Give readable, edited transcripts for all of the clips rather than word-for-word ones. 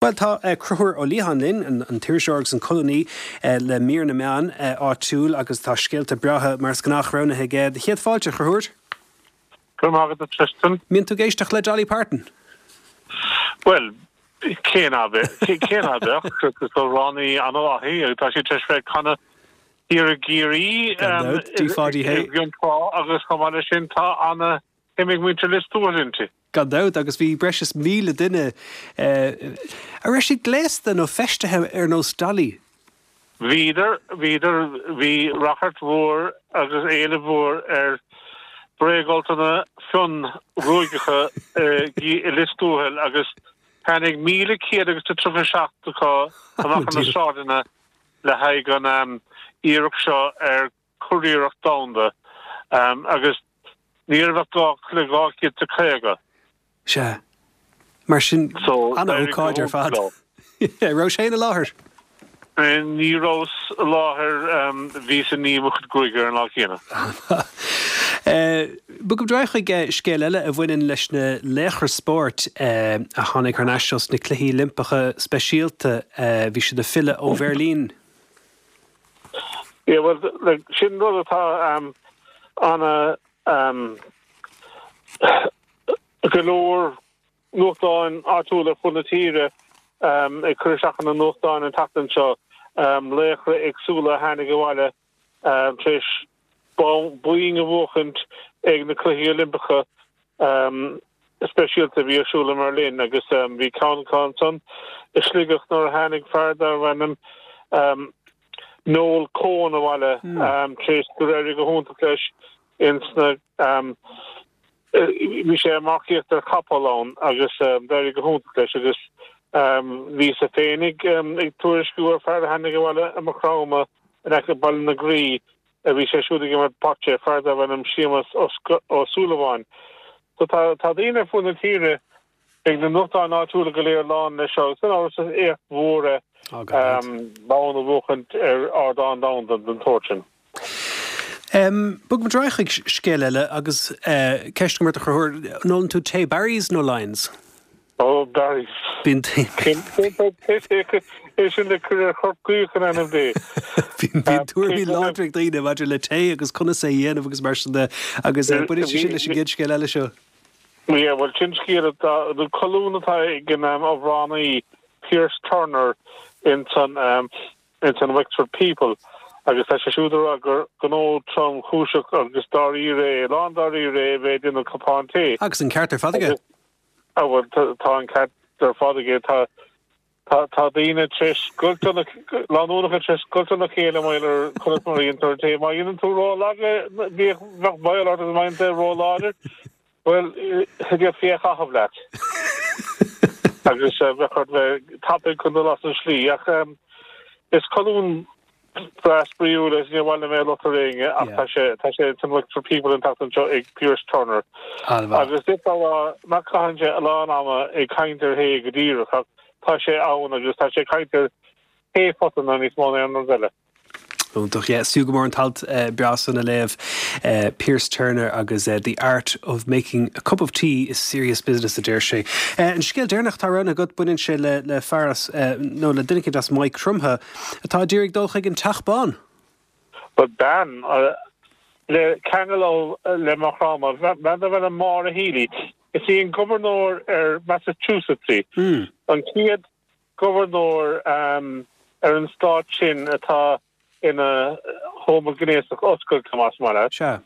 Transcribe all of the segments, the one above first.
Bhuel, tá Conchúr Ó Liatháin linn, an t-iriseoir agus an colúnaí le mír na meán áitiúil agus tá scéalta breátha mar is gnách roghnaithe aige. Do chéad fáilte, a Chonchúir. Go raibh maith agat, a Tristan. Mbíonn tú ag éisteacht le Dolly Parton? Bhuel, cé ná beadh? Cé ná beadh? Is amhránaí an-mhaith í agus tá sí tar éis bheith ag canadh thiar i gCiarraí i gCionn Trá agus chomh maith leis sin tá ana shuim ag muintir Lios Tuathail inti. Gan dabht, agus bhí breis is 1,000 duine, an raibh siad gléasta nó feistithe ar nós Dolly? Bhíodar, bhíodar, bhí ráchairt mhór agus éileamh mhór ar bhréagfholtanna fionn-ghruaigeacha i Lios Tuathail agus tháinig 1,100 agus a 37 acu amach ar na sráideanna le haghaidh an iarracht seo ar curiarracht domhanda agus ní raibh ach gá le 250. Sea. Mar sin, an-ócáid ar fad. Raibh sé i láthair? Ní rabhas i láthair, bhíos ag ní mo chuid gruaige ar an lá céanna. Bogaimid ar aghaidh chuig scéal eile a bhaineann leis na laochra spóirt a tháinig thar n-ais ós na Cluichí Oilimpeacha Speisialta. Bhí siad ag filleadh ó Bheirlín. Yeah, bhuel, like, sin rud atá ana go leor nuachtáin áitiúla ar fud na tíre ag cur isteach ina nuachtáin an tseachtain seo, laochra éagsúla a tháinig abhaile tar éis boinn a bhuachaint ag na Cluichí Oilimpeacha Speisialta a bhí ar siúl i mBerlin agus bhí ceann acu ansan i Sligeach nuair a tháinig fear darbh ainm Noel Coen abhaile tar éis gur éirigh go hiontach leis ins na bhí sé ag marcaíocht ar chapall ann agus d'éirigh go hiontach leis agus bhíos féinig ag tuairisciú ar fear a tháinig abhaile i Maigh Chromtha in aice Baile na Graí a bhí sé siúd ag imirt bocce, fear darbh ainm Séamus Ó Súilleabháin. So tá tá daoine ar fud na tíre, beidh na nuachtáin áitiúla go léir lán leis seo agus gan amhras is éacht mhór é bonn a bhuachaint ar ardán domhanda den tsórt sin. Bogfaimid ar aghaidh chuig scéal eile agus ceist agam ort a Chonchúir, an ólann tú tae Barry's nó Lyons? Ó, Barry's. Bíonn É sin le cur ar chorp gaoth in ainm Dé. Bíonn tuairimí láidre ag daoine maidir le tae agus conas é a dhéanamh agus mar sin de agus baineann sé sin leis an gcéad scéal eile seo. Yeah, bhuel sin scéal atá, nó colún atá ag an amhránaí Pearse Turner ins an ins an Wexford People agus tá sé siúd ag rá gur gnó tromchúiseach agus dáiríre é, lán dáiríre é a bheith ag déanamh cupán tae. Agus an ceart ar fad aige. Á bhuel, tá an ceart ar fad aige. Tá, tá, tá daoine tar éis scoilt óna, lánúineacha tar éis scoilt óna chéile mar gheall ar conas mar a dhéantar an tae. Má dhéanann tú ró-lag é, bhíodh, bheadh baol ort agus má dhéanann tú é ró-láidir, bhuel, d'fhéadfaí é a chaitheamh leat. Agus bheadh ort bheith tapaidh chun dul as an slí. Ach is colún breá spraíúil é, níor mhaith liom é a lochtú ar éinne ach tá sé tá sé san Wexford People an tseachtain seo ag Pearse Turner. Agus d'fhéadfá a rá nach gcaitheann sé a lán ama ag caint ar thae go díreach ach tá sé ann agus tá sé ag caint ar thaephotanna níos mó ná aon rud eile. Iontach, yeah. Is fiú go mór an t-alt breá san a léamh. Pearse Turner agus The Art of Making a Cup of Tea is Serious Business a deir sé. An scéal deireanach atá roghnaithe agat, baineann sé le le fear as, nó le duine eicínt as Maigh Chromtha atá ag iarraidh dul chuig an Teach Bán. Bhuel, bean le ceangal ó le Maigh Chromtha, bean darb ainm Maura Healey. Is í an gobharnóir ar Massachusetts í. An chéad gobharnóir ar an stát sin atá ina homaighnéasach oscailte, más maith leat. Sea.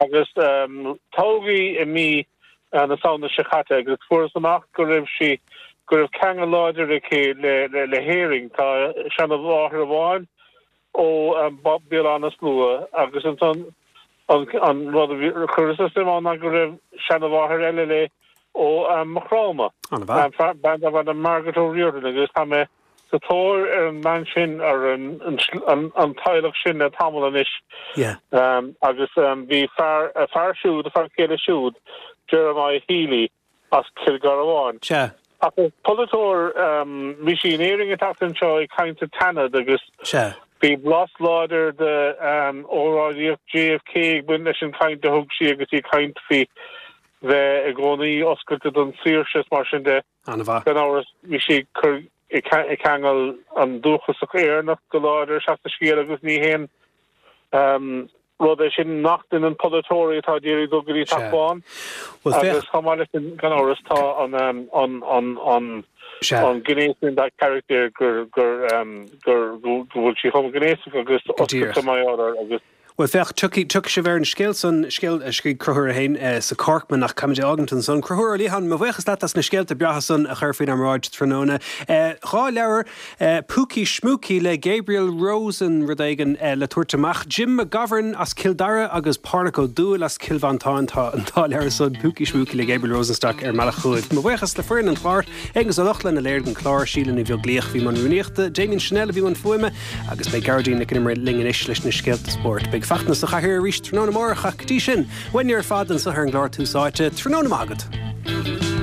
Agus toghadh í i mí na Samhna seo caite agus fuarthas amach go raibh sí, go raibh ceangal láidir aici le le hÉirinn. Tá seanmháthair amháin ó Béal Átha na Slua agus ansan an rud a chuir suim ann ná go raibh seanmháthair eile léi ó Maigh Chromtha, bean darb ainm Margaret O'Riordan agus tá mé sa tóir ar an mbean sin, ar an teaghlach sin le tamall anois. Agus bhí fear, a fear siúd, a fear céile siúd, Jeremiah Healy, as Cill Gharbháin. Sea. Ach is polaiteoir, bhí sí in Éirinn an tseachtain seo ag caint sa tSeanad agus bhí blas láidir de óráidíocht JFK ag baint leis an chaint a thug sí agus í ag caint faoi bheith i gcónaí oscailte don saoirse is mar sin de. An-mhaith. Gan amhras, bhí sí ag cur. ag ceangal an dúchasach Éireannach go láidir isteach sa scéal agus ní haon rud é sin nach ndéanann polaiteoirí atá ag iarraidh dul go dtí Teach Bán. Agus chomh maith leis sin, gan amhras, tá an an an gné sin dá carachtar gur gur gur go bhfuil sí homaighnéasach agus oscailte mar gheall air agus Bhuel, féach, tiocfaidh, tiocfaidh sibh ar an scéal san, scéal a scrígh Conchúr é féin sa Corkman, ach caithfimid é fhágaint ansan. Conchúr Ó Liatháin, mo bhuíochas leat as na scéalta breátha san a chur faoinár mbráid tráthnóna. 2 leabhar, Púcaí Schmúcaí le Gabriel Rosen, rud éigin le tabhairt amach. Jim McGovern as Cill Dara agus Pádraic Ó Dúill as Cill Mhantáin. Tá an dá leabhar san, Púcaí Schmúcaí le Gabriel Rosenstock ar mbealach chugaibh. Mo bhuíochas le foireann an chláir, Aonghus Ó Lochlainn a léirigh an clár, Síle Ní Bheaglaoich a bhí i mbun rúnaíochta, Damien Channel a bhí i mbun fuaime, Agus beidh Gearóidín Nic an Iomaire linn anois leis na scéalta spóirt. Beidh Fachtna sa chathaoir arís tráthnóna amárach ach go dtí sin, uainne ar fad anseo ar an gclár Tús Áite, tráthnóna maith agat!